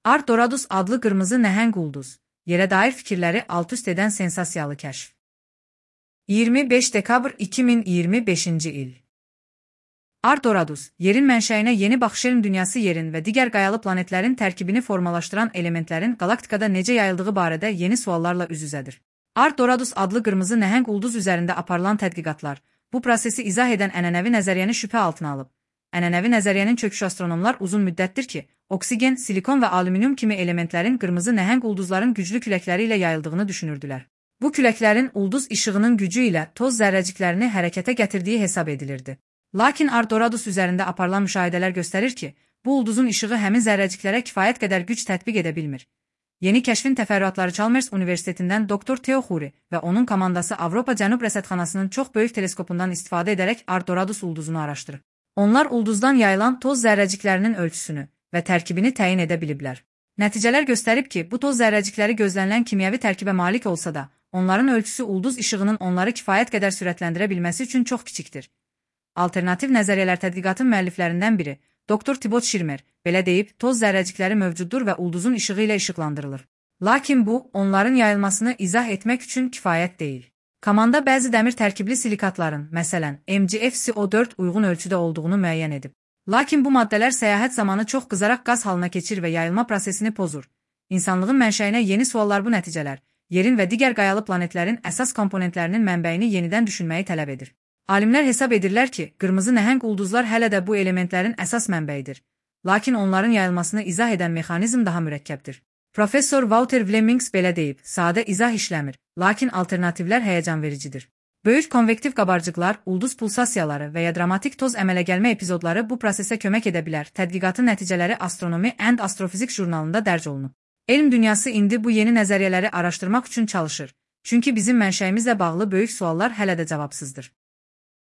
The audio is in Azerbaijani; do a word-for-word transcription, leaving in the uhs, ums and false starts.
Arcturus adlı qırmızı nəhəng ulduz, yerə dair fikirləri alt-üst edən sensasiyalı kəşf. iyirmi beş dekabr iki min iyirmi beşinci il. Arcturus, yerin mənşəyinə yeni baxış elm dünyası yerin və digər qayalı planetlərin tərkibini formalaşdıran elementlərin qalaktikada necə yayıldığı barədə yeni suallarla üz-üzədir. Arcturus adlı qırmızı nəhəng ulduz üzərində aparılan tədqiqatlar, bu prosesi izah edən ənənəvi nəzəriyyəni şübhə altına alıb. Ənənəvi nəzəriyyənin çöküşü astronomlar uzun müddətdir ki, oksigen, silikon və alüminium kimi elementlərin qırmızı nəhəng ulduzların güclü küləkləri ilə yayıldığını düşünürdülər. Bu küləklərin ulduz işığının gücü ilə toz zərrəciklərini hərəkətə gətirdiyi hesab edilirdi. Lakin Arcturus üzərində aparılan müşahidələr göstərir ki, bu ulduzun işığı həmin zərrəciklərə kifayət qədər güc tətbiq edə bilmir. Yeni kəşfin təfərrüatları Chalmers Universitetindən doktor Theo Khoury və onun komandası Avropa Cənub Rəsədxanasının çox böyük teleskopundan istifadə edərək Arcturus ulduzunu araşdırıb. Onlar ulduzdan yayılan toz zərrəciklərinin ölçüsünü və tərkibini təyin edə biliblər. Nəticələr göstərib ki, bu toz zərrəcikləri gözlənilən kimyəvi tərkibə malik olsa da, onların ölçüsü ulduz işığının onları kifayət qədər sürətləndirə bilməsi üçün çox kiçikdir. Alternativ nəzəriyyələr tədqiqatın müəlliflərindən biri, doktor Thibaut Schirmer, belə deyib, toz zərrəcikləri mövcuddur və ulduzun işığı ilə işıqlandırılır. Lakin bu, onların yayılmasını izah etmək üçün kifayət deyil. Komanda bəzi dəmir tərkibli silikatların, məsələn, M g F C O dörd uyğun ölçüdə olduğunu müəyyən edib. Lakin bu maddələr səyahət zamanı çox qızaraq qaz halına keçir və yayılma prosesini pozur. İnsanlığın mənşəyinə yeni suallar bu nəticələr, yerin və digər qayalı planetlərin əsas komponentlərinin mənbəyini yenidən düşünməyi tələb edir. Alimlər hesab edirlər ki, qırmızı nəhəng ulduzlar hələ də bu elementlərin əsas mənbəyidir. Lakin onların yayılmasını izah edən mexanizm daha mürəkkəbdir. Professor Walter Flemings belə deyib, sadə izah işləmir, lakin alternativlər həyəcan vericidir. Böyük konvektiv qabarcıqlar, ulduz pulsasiyaları və ya dramatik toz əmələ gəlmə epizodları bu prosesə kömək edə bilər. Tədqiqatın nəticələri Astronomy and Astrophysics jurnalında dərc olunub. Elm dünyası indi bu yeni nəzəriyyələri araşdırmaq üçün çalışır. Çünki bizim mənşəyimizlə bağlı böyük suallar hələ də cavabsızdır.